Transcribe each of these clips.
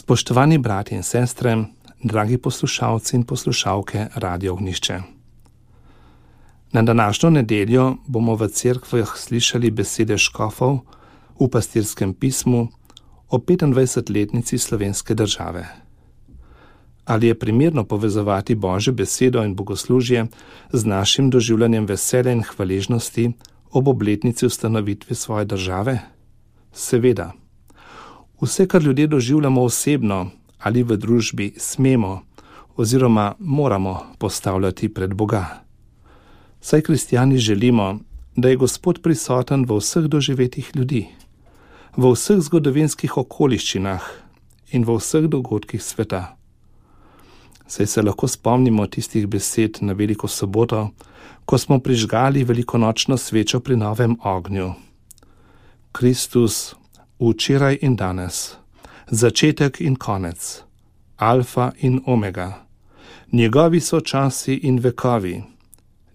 Spoštovani brati in sestre, dragi poslušalci in poslušalke Radio Ognjišče. Na današnjo nedeljo bomo v cerkvah slišali besede škofov v pastirskem pismu o 25-letnici slovenske države. Ali je primerno povezovati Božjo besedo in bogoslužje z našim doživljanjem veselja in hvaležnosti ob obletnici ustanovitve svoje države? Seveda. Vse, kar ljudje doživljamo osebno ali v družbi, smemo oziroma moramo postavljati pred Boga. Saj kristjani želimo, da je Gospod prisoten v vseh doživetih ljudi, v vseh zgodovinskih okoliščinah in v vseh dogodkih sveta. Saj se lahko spomnimo tistih besed na Veliko soboto, ko smo prižgali velikonočno svečo pri novem ognju. Kristus, včeraj in danes, začetek in konec, alfa in omega, njegovi so časi in vekovi,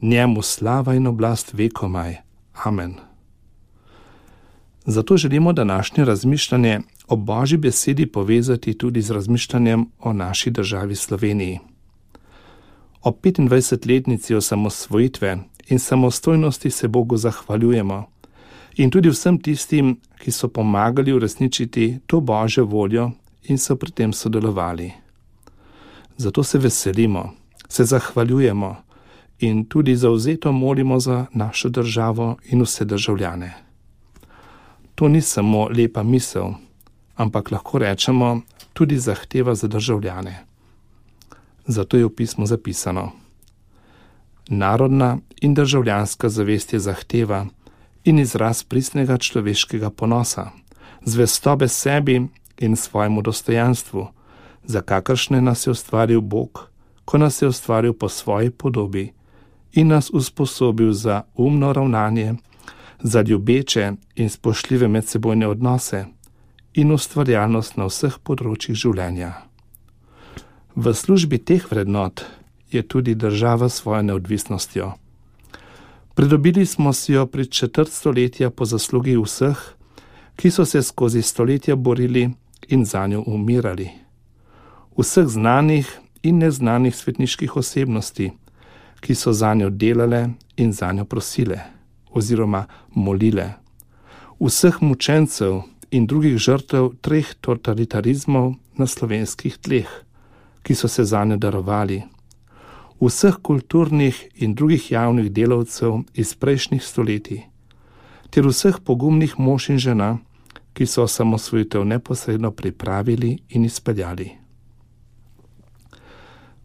njemu slava in oblast vekomaj. Amen. Zato želimo današnje razmišljanje o Božji besedi povezati tudi z razmišljanjem o naši državi Sloveniji. O 25-letnici osamosvojitve in samostojnosti se Bogu zahvaljujemo in tudi vsem tistim, ki so pomagali uresničiti to Božjo voljo in so pri tem sodelovali. Zato se veselimo, se zahvaljujemo in tudi zavzeto molimo za našo državo in vse državljane. To ni samo lepa misel, ampak lahko rečemo tudi zahteva za državljane. Zato je v pismu zapisano: narodna in državljanska zavest je zahteva in izraz pristnega človeškega ponosa, zvestobe sebi in svojemu dostojanstvu, za kakršne nas je ustvaril Bog, ko nas je ustvaril po svoji podobi in nas usposobil za umno ravnanje, za ljubeče in spoštljive medsebojne odnose in ustvarjalnost na vseh področjih življenja. V službi teh vrednot je tudi država s svojo neodvisnostjo. Pridobili smo si jo pred 4 stoletja po zaslugi vseh, ki so se skozi stoletja borili in za njo umirali. Vseh znanih in neznanih svetniških osebnosti, ki so za njo delale in za njo prosile oziroma molile. Vseh mučencev in drugih žrtev 3 totalitarizmov na slovenskih tleh, ki so se za njo darovali. Vseh kulturnih in drugih javnih delavcev iz prejšnjih stoletij, ter vseh pogumnih mož in žena, ki so osamosvojitev neposredno pripravili in izpeljali.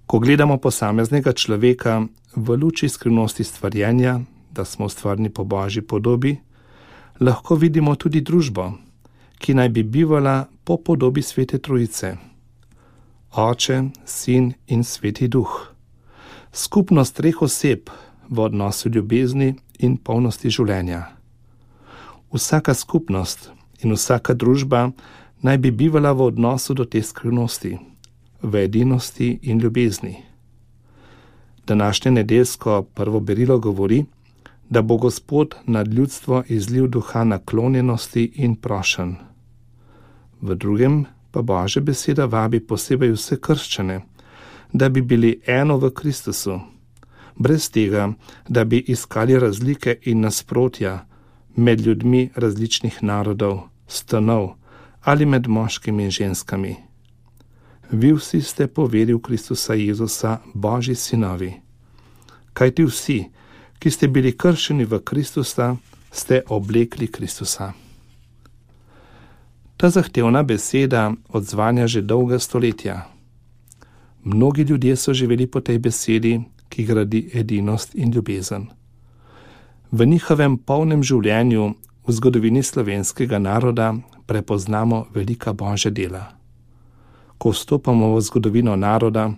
Ko gledamo posameznega človeka v luči skrivnosti stvarjenja, da smo ustvarjeni po Božji podobi, lahko vidimo tudi družbo, ki naj bi bivala po podobi Svete Trojice: Oče, Sin in Sveti Duh. Skupnost 3 oseb v odnosu ljubezni in polnosti življenja. Vsaka skupnost in vsaka družba naj bi bivala v odnosu do te skrivnosti, v edinosti in ljubezni. Današnje nedeljsko prvo berilo govori, da bo Gospod nad ljudstvo izlil duha naklonjenosti in prošenj. V drugem pa Božja beseda vabi posebej vse krščane, da bi bili eno v Kristusu, brez tega, da bi iskali razlike in nasprotja med ljudmi različnih narodov, stanov ali med moškimi in ženskami. Vi vsi ste po veri v Kristusa Jezusa Božji sinovi. Kajti vsi, ki ste bili kršeni v Kristusa, ste oblekli Kristusa. Ta zahtevna beseda odzvanja že dolga stoletja. Mnogi ljudje so živeli po tej besedi, ki gradi edinost in ljubezen. V njihovem polnem življenju v zgodovini slovenskega naroda prepoznamo velika Božja dela. Ko vstopamo v zgodovino naroda,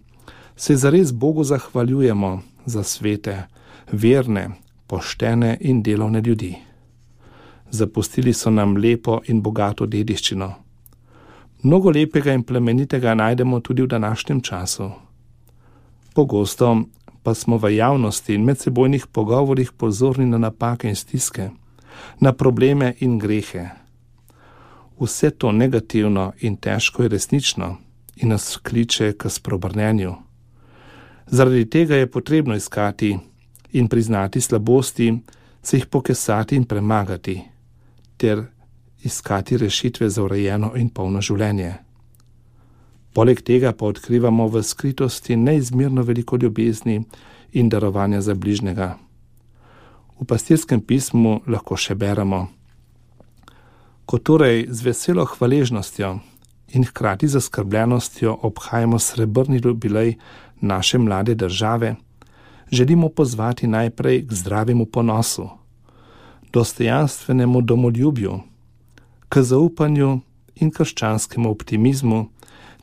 se zares Bogu zahvaljujemo za svete, verne, poštene in delovne ljudi. Zapustili so nam lepo in bogato dediščino. Mnogo lepega in plemenitega najdemo tudi v današnjem času. Pogosto pa smo v javnosti in medsebojnih pogovorih pozorni na napake in stiske, na probleme in grehe. vse to negativno in težko je resnično in nas kliče k spreobrnenju. Zaradi tega je potrebno iskati in priznati slabosti, se jih pokesati in premagati, ter iskati rešitve za urejeno in polno življenje. Poleg tega pa odkrivamo v skritosti neizmerno veliko ljubezni in darovanja za bližnjega. V pastirskem pismu lahko še beremo: ko torej z veselo hvaležnostjo in hkrati zaskrbljenostjo obhajamo srebrni jubilej naše mlade države, želimo pozvati najprej k zdravemu ponosu, dostojanstvenemu domoljubju, k zaupanju in krščanskemu optimizmu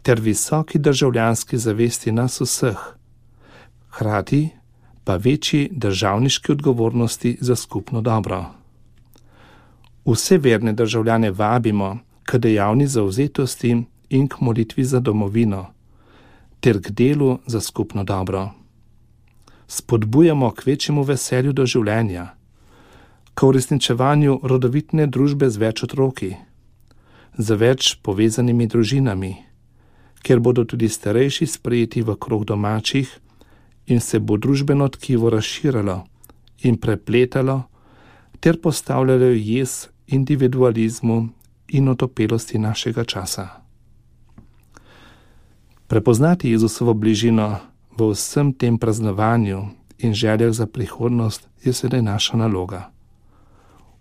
ter visoki državljanski zavesti nas vseh, hkrati pa večji državniški odgovornosti za skupno dobro. Vse verne državljane vabimo k dejavni zavzetosti in k molitvi za domovino, ter k delu za skupno dobro. Spodbujamo k večjemu veselju do življenja, k uresničevanju rodovitne družbe z več otroki, z več povezanimi družinami, kjer bodo tudi starejši sprejeti v krog domačih in se bo družbeno tkivo razširilo in prepletalo ter postavljalo jez individualizmu in otopelosti našega časa. Prepoznati Jezusovo bližino v vsem tem praznovanju in željah za prihodnost je sedaj naša naloga.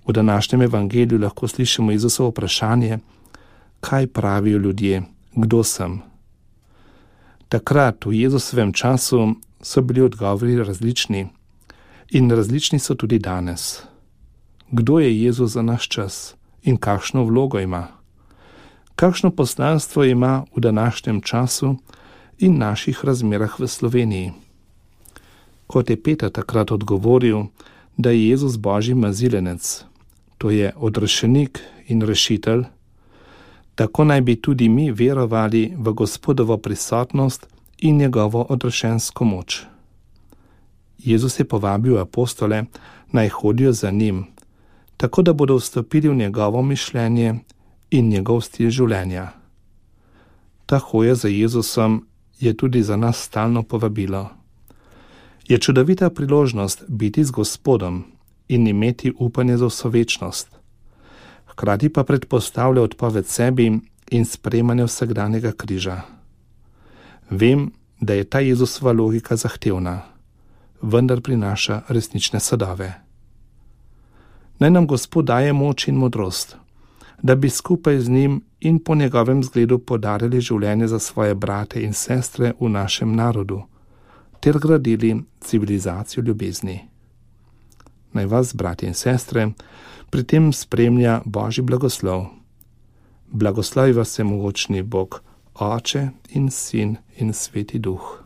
V današnjem evangeliju lahko slišimo Jezusovo vprašanje, kaj pravijo ljudje, kdo sem. Takrat v Jezusovem času so bili odgovori različni in različni so tudi danes. Kdo je Jezus za naš čas in kakšno vlogo ima? Kakšno poslanstvo ima v današnjem času in naših razmerah v Sloveniji? Kot je Peter takrat odgovoril, da je Jezus Božji mazilenec, to je odrešenik in rešitelj, tako naj bi tudi mi verovali v Gospodovo prisotnost in njegovo odrešensko moč. Jezus je povabil apostole, naj hodijo za njim, tako da bodo vstopili v njegovo mišljenje in njegov stil življenja. Ta hoja za Jezusom je tudi za nas stalno povabilo. Je čudovita priložnost biti z Gospodom in imeti upanje za vso večnost. Hkrati pa predpostavlja odpoved sebi in sprejemanje vsakdanjega križa. Vem, da je ta Jezusova logika zahtevna, vendar prinaša resnične sadove. Naj nam Gospod daje moč in modrost, da bi skupaj z njim in po njegovem zgledu podarili življenje za svoje brate in sestre v našem narodu, ter gradili civilizacijo ljubezni. Naj vas, bratje in sestre, pri tem spremlja Božji blagoslov. Blagoslovi vas vsemogočni Bog, Oče in Sin in Sveti Duh.